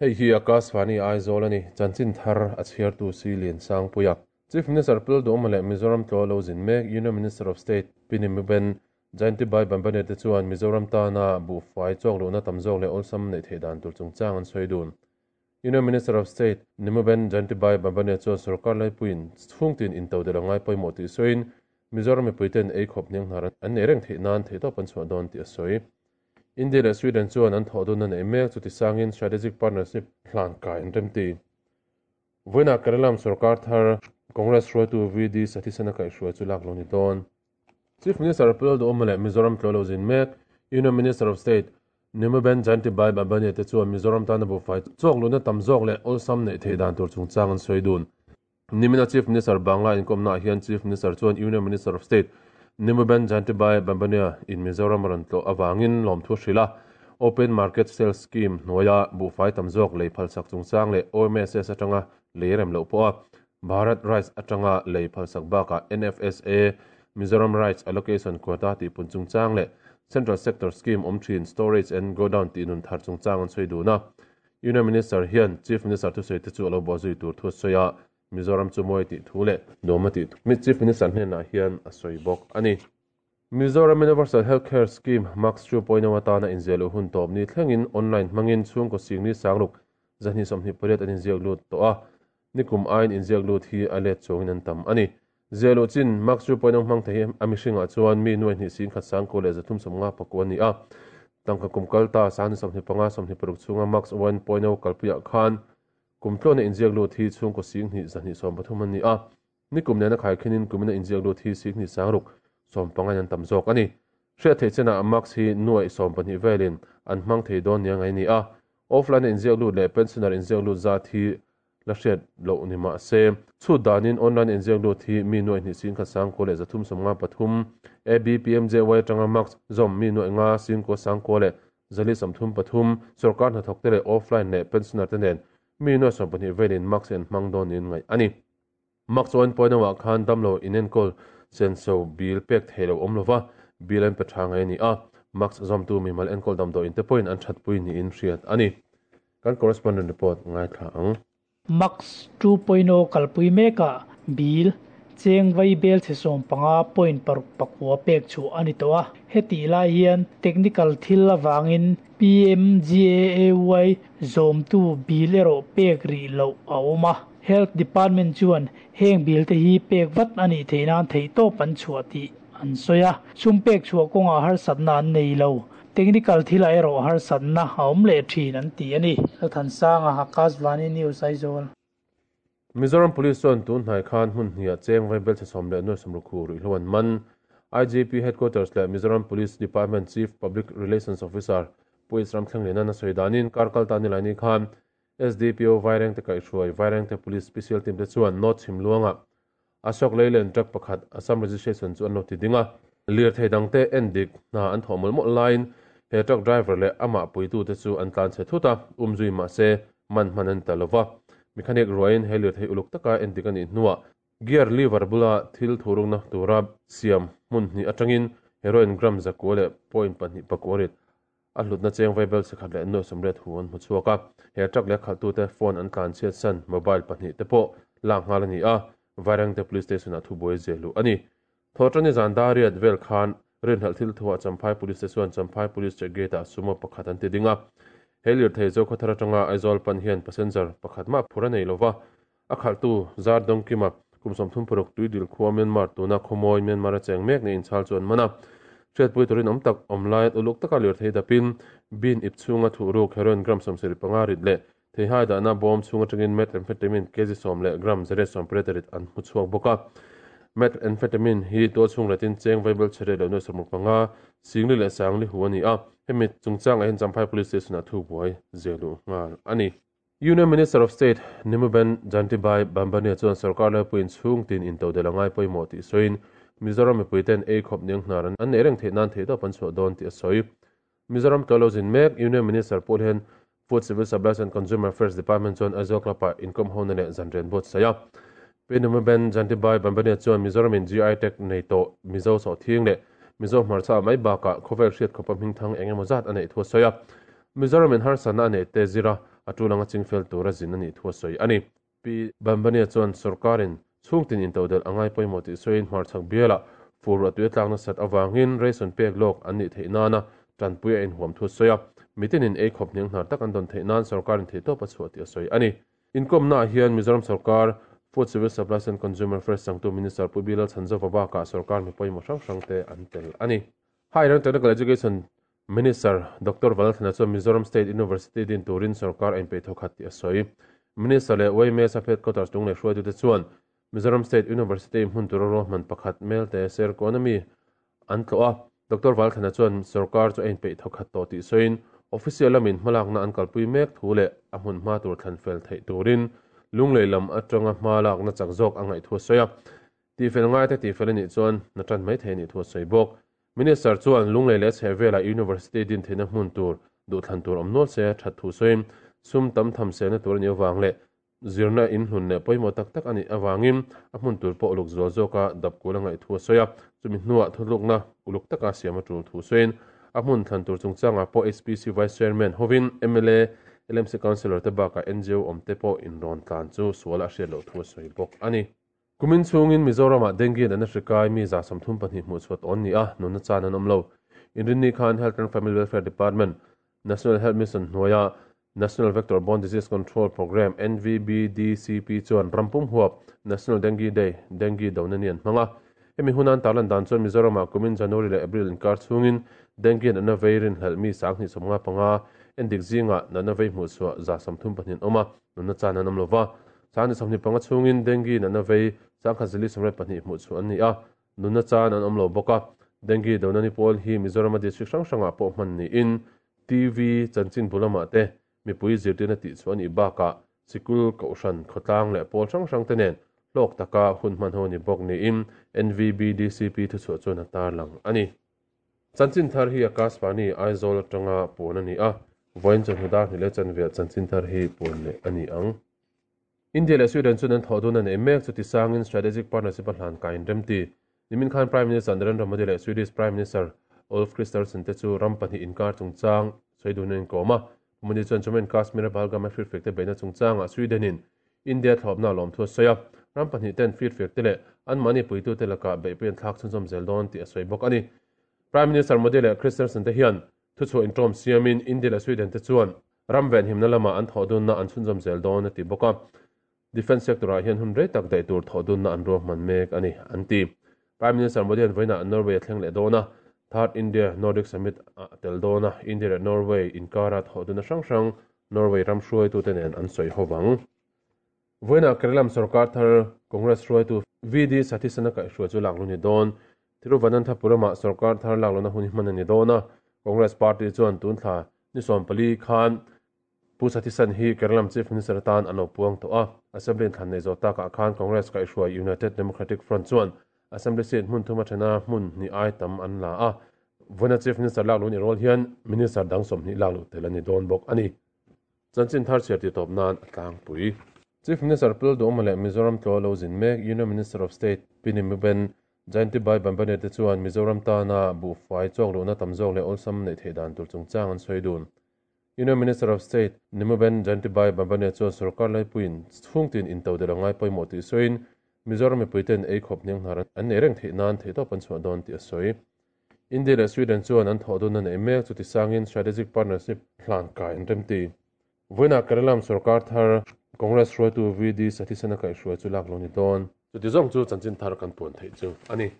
Hei hi Akashvani Aizawl a ni, chanchin thar a chhiartu si Liansangpuia. Chief Minister Pu Duhawma leh Mizoram tlaw lo zin mek Union Minister of State Pi Nimuben Jayantibai Bambane te chuan Mizoram tana buhfai chawk luhna tam zawk leh awlsam neih theih dan tur chungchang an sawi dun. Union Minister of State Nimuben Jayantibai Bambane chuan sorkar laipuiin chhungtin intodelh a ngai pawimawh tih sawiin Mizoram mipuiten ei khawp hnianghnar an nei reng theih nan theihtawp an chhuah dawn tih a sawi. India leh Sweden chuan an thawh dunna neih mek chu tisangin strategic partnership hlan kai an remti. Vawiinah Kerala sorkar thar Congress hruaitu VD Satheesan a kaihhruai chu lak lo ni dawn. Chief Minister Pu Lalduhawma leh Mizoram tlaw lo zin mek Union Minister of State Nimuben Jayantibai Bambani te chuan Mizoram tana buhfai chawk luhna tam zawk leh awlsam neih theih dan tur chungchang an sawi dun. Nimina Chief Minister Bangla inkawmnaah hian Chief Minister chuan Union Minister of State Nimuben Jayantibai Bambania in Mizoram a rawn tlawh avangin lawmthu a hrilh a. Open Market Sales Scheme hnuaia buhfai tam zawk lei phalsak chungchang leh OMSS atanga lei rem loh pawha Bharat Rice atanga lei phalsak bakah NFSA Mizoram Rice Allocation Quota tihpun chungchang leh Central Sector Scheme awm thin Storage and Godown tihnun thar chungchang an sawi dun a. Union Minister hian Chief Minister thusawi te chu a lo buah zui tur thu a sawi a, Mizoram chu mawi tih thu leh nuam a tih thu Chief Minister hnenah hian a sawi bawk a ni. Mizoram Universal Health Care Scheme, MACS 2.0 atana inziah luh hun tawp ni thlengin online hmangin chhungkaw singli sangruk 228 an inziak lut tawh a, nikum aiin inziak lut hi a let chuangin an tam a ni. Ziah luh chin, MACS 2.0 hmang thei hi a mihringah chuan mi nuai hnih singkhat sangkua leh 359 a ni a, tangka kum kal ta 25 26 chhunga MACS 1.0 kalpuiah khan kum tluana inziak lut hi chhungkaw singhnih 230 an ni a. Nikum nena khaikhinin kumina inziak lut hi Sihni sangruk sawmpangain an tam zawk a ni. Hriat theih chenah Max hi nuaih sawmpahnih velin an hmang thei dawn nia ngai ni a. Offline-a inziak lut leh pensioner inziak lut zat hi la hriat loh ni mah se, chhut danin online inziak lut hi mi nuaih hnih singkhat sangkua leh 353, ABPMJY atanga Max zawm mi nuaih nga singkua sangkua leh 433, sorkar hnathawkte leh offline leh pensioner te nen mi nuaih 12 velin Max hi an hmang dawn niin ngaih a ni. Mak chuan Pawnawah khan damlo inenkawl senso bill pek theih loh awm lova, bill an pe tha ngai a ni a, Max zawmtu mimal enkawl damdawiin te pawhin an thatpui niin hriat a ni. Kan correspondent report ngaithla ang. Max 2.0 kalpui mekah bill cheng vai bel chhe 15 point paruk pakua pek chhuah a ni tawh a, hetih lai hian technical thil avangin PMGAAY zawmtu bill erawh pek rih loh a awm a. Health Department chuan heng bill te hi pek vat a nih theih nan theihtawp an chhuah tih an sawi a, sum pek chhuah kawngah harsatna an nei lo. Technical thilah erawh harsatna a awm leh thin an ti a ni. Lalthansanga, Akashvani News, Aizawl. Mizoram Police chuan tun hnai khan hmun hniah cheng vaibel chhe sawm leh nuai sawmruk hu ruihhlo an man. IGP Headquarters leh Mizoram Police Department Chief Public Relations Officer Pu Isram Thlengliana a sawi danin kar kal ta nilaini khan SDPO Vairengte kaihhruai Vairengte Police Special Team te chuan North Chhimluangah Ashok Leyland truck pakhat Assam registration chu an lo ti ding a. Lirthei dangte en dik hna an thawh mawlh mawlh laiin he truck driver leh amah puitute chu an tlan chhe thut a, umzui mahse man hman an ta lova. Mechanic ruaiin he lirthei uluk taka en dik a nih hnuah gear lever bula thil thurukna tura siam hmun hnih atangin heroin gram zakua leh point pahnih pakua rit A hlutna cheng vaibel chhekhat leh nuai sawmriat hu an hmu chhuak a, he truck leh khalhtute phone an tlan chhiat san mobile pahnih te pawh lak nghal a ni a, Vairengte Police Station ah thubuai ziah luh a ni. Thawhṭani zan dariat vel khan rinhlelh thil thuah Champhai Police te chuan Champhai Police Check Gate ah sumo pakhat an ti ding a, he lirthei Zokhawthar atanga Aizawl pan hian passenger pakhat mah phur a nei lova, a khalhtu Zar Dawngkima kum 36 Tuidil khua Myanmar tuna khawmawi Myanmar a cheng mek niin chhal chu an man a. Hriatpui turin awm tak awm lai uluk taka lirthei dapin bin ip chhunga thuhruk heroin gram 75 rit leh theihai dahna bawm chhung atangin methamphetamine kg sawm leh gram zariat sawmpariat rit an hmu chhuak bawk a. Methamphetamine hi tual chhung retin cheng vaibel chhe leh nuai 65 singli leh sangli hu a ni a. Hemi chungchangah hian Champhai Police Station-ah thubuai ziah luh nghal a ni. Union Minister of State Nimuben Jantibai Bambania chuan sorkar laipuiin chhung tin intodelh a ngai pawimawh tih sawiin Mizoram mipuiten ei khawp niang hnar an neih reng theih nan theihtawp an chhuah dawn tih a sawi. Mizoram tlaw lo zin mek Union Minister pawh hian Food Civil Supplies and Consumer Affairs Department chuan Aizawl Club-ah inkawm hona leh zanrian buatsaih a. Pi Nimuben Jantibai Bambania chuan Mizoramin GI tag nei tawh Mizo sawhthing leh Mizo hmarcha mai bakah khawvel hriat khawpa hmingthang eng emaw zat a neih thu a sawi a. Mizoramin harsatna a neih te zira. a tul anga chingfel tura zin a nih thu a sawi a ni. Pi Bambania chuan sorkarin chhungtin intodelh a ngai pawimawh tih sawiin hmarchhak bialah fur ruah tui a tlak nasat avangin ration pek lawk an nih theih nana tanpui a inhuam thu a sawi a, mitinin ei khawp hniang hnar tak an dawn theih nan sorkarin theihtawp a chhuah tih a sawi a ni. Inkawmnaah hian Mizoram sorkar Food Civil Supplies and Consumer Affairs changtu Minister Pu Bilal Chhanzova bakah sorkar mi pawimawh hrang hrangte an tel a ni. Higher and Technical Education Minister Doctor Vanlalthana chuan Mizoram State University din turin sorkar a inpeih thawkhat tih a sawi. Minister leh YMA Sub Headquarters tung leh hruaitute chuan Mizoram State University hmun tura ruahman pakhat Melte Serkawn ami an tlawh a. Doctor Vanlalthana chuan sorkar chu a inpeih thawkhat tawh tih sawiin official lamin hmalakna an kalpui mek thu leh a hmun hma tur thlan fel theih turin Lunglei lam atanga hma lakna chak zawk a ngaih thu a sawi a. Tihfel ngaite tihfel a nih chuan hna tan mai thei a nih thu a sawi bawk. Minister chuan Lunglei leh chhehvelah University din theihna hmun tur duhthlan tur awm nual se that thu sawiin sum tam tham selna tur a nih avang leh zirna inhlun leh pawimawh tak tak a nih avangin a hmun tur pawh uluk zual zawka dap kul a ngaih thu a sawi a. Chumi hnuah thuthlukna uluk taka siam a tul thu sawiin a hmun thlan tur chungchangah pawh HPC Vice Chairman hovin mla, LMC Councillor te bakah ngo awmte pawh inrawn tlan chu sual a hriat loh thu a sawi bawk a ni. Kumin chhungin Mizoramah dengue natna hri kai mi 32 hmuh chhuat awn ni a, nunna chan an awm lo. Inrinni khan Health and Family Welfare Department, National Health Mission hnuaia National Vector Borne Disease Control Programme, NVBDCP, chuan ram pum huap National Dengue Day, Dengue dona ni an hmang a. Hemi huna an tarlan dan chuan Mizoramah kumin January leh April inkar chhungin dengue natna vei rinhlelh mi 255 endik zingah natna vei hmuh chhuah 34 an awm a, nunna chan an awm lo va. 25 chhungin dengue natna vei 1082 hmuh chhuah an ni a, nunna chan an awm lo bawk a. Dengue dona ni pawl hi Mizorama district hrang hrangah pawh hman niin TV chanchin bu lamah te mipui zirtirna tih chhuah a nih bakah sikul, kohhran, khawtlang leh pawl hrang hrang te nen hlawk taka hun hman ho a ni bawk niin NVBDCP thuchhuah chuan a tarlang a ni. Chanchin thar hi Akashvani, Aizawl atanga puan a ni a, vawiin chawhnu dar hnih leh chanve ah chanchin thar hi puan leh a ni ang. India leh Sweden chuan an thawh dun a nei mek chu tisangin strategic partnership a hlan kai inremti. Nimin khan Prime Minister Narendra Modi leh Swedish Prime Minister Ulf Kristersson te chu ram pahnih inkar chungchang sawi dun an inkawm a. Pu Modi chuan Jammu and Kashmir-a Pahalgam-a firfiak te beihna chungchangah Sweden-in India thlawpna a lawm thu a sawi a. Ram pahnih ten firfiak te leh anmahni puitute lakah beihpui an thlak chhunzawm zel dawn tih a sawi bawk a ni. Prime Minister Modi leh Kristersson te hian thuchhuah inṭawm siamin India leh Sweden te chuan ram venhimna lamah an thawh dunna an chhunzawm zel dawn a ti bawk a. Defence sector-ah hian hun rei tak daih tur thawh dunna an ruahman mek a ni, an ti. Prime Minister Modi an vawiinah Norway a thleng leh dawn a, Third India Nordic Summit ah a tel dawn a, India leh Norway inkara thawh dunna hrang hrang Norway ram hruaitute nen an sawi ho vang. Vawiinah Kerala sorkar thar Congress hruaitu VD Satheesan a kaihhruai chu lak lu ni dawn. Thiruvananthapuram-ah sorkar thar lak lohna hun hi hman a ni dawn a, Congress party chuan tun thla ni 14 khan Pu Satheesan hi Kerala Chief Minister atan an lo puang tawh a, Assembly inthlan nei zawh takah khan Congress kaihhruai United Democratic Front chuan Assembly seat hmun thuma thena hmun hnih ai tam an la a, vawiina Chief Minister lak luh ni rual hian Minister dang 20 lak luh tel a ni dawn bawk a ni. Chanchin thar chhiar tih tawp nan a tlangpui. Chief Minister Pu Lalduhawma leh Mizoram tlaw lo zin mek Union Minister of State Pi Nimuben Jayanti Bhai Bambane te chuan Mizoram tana buhfai chawk luhna tam zawk leh awlsam neih theih dan tur chungchang an sawi dun. Union Minister of State Nimuben Jayanti Bhai Bambane chuan sorkar laipuiin chhungtin intodelh a ngai pawimawh tih sawiin Mizoram mipuiten ei khawp hniang hnar an nei reng theih nan theihtawp an chhuah dawn tih a sawi. India leh Sweden chuan an thawh dunna nei mek chu tisangin strategic partnership hlan kai an remti. Vawiinah Kerala sorkar thar Congress hruaitu VD Satheesan a kaihhruai chu lak lo ni dawn. Chuti zawng chu chanchin thar kan puan theih chu a ni.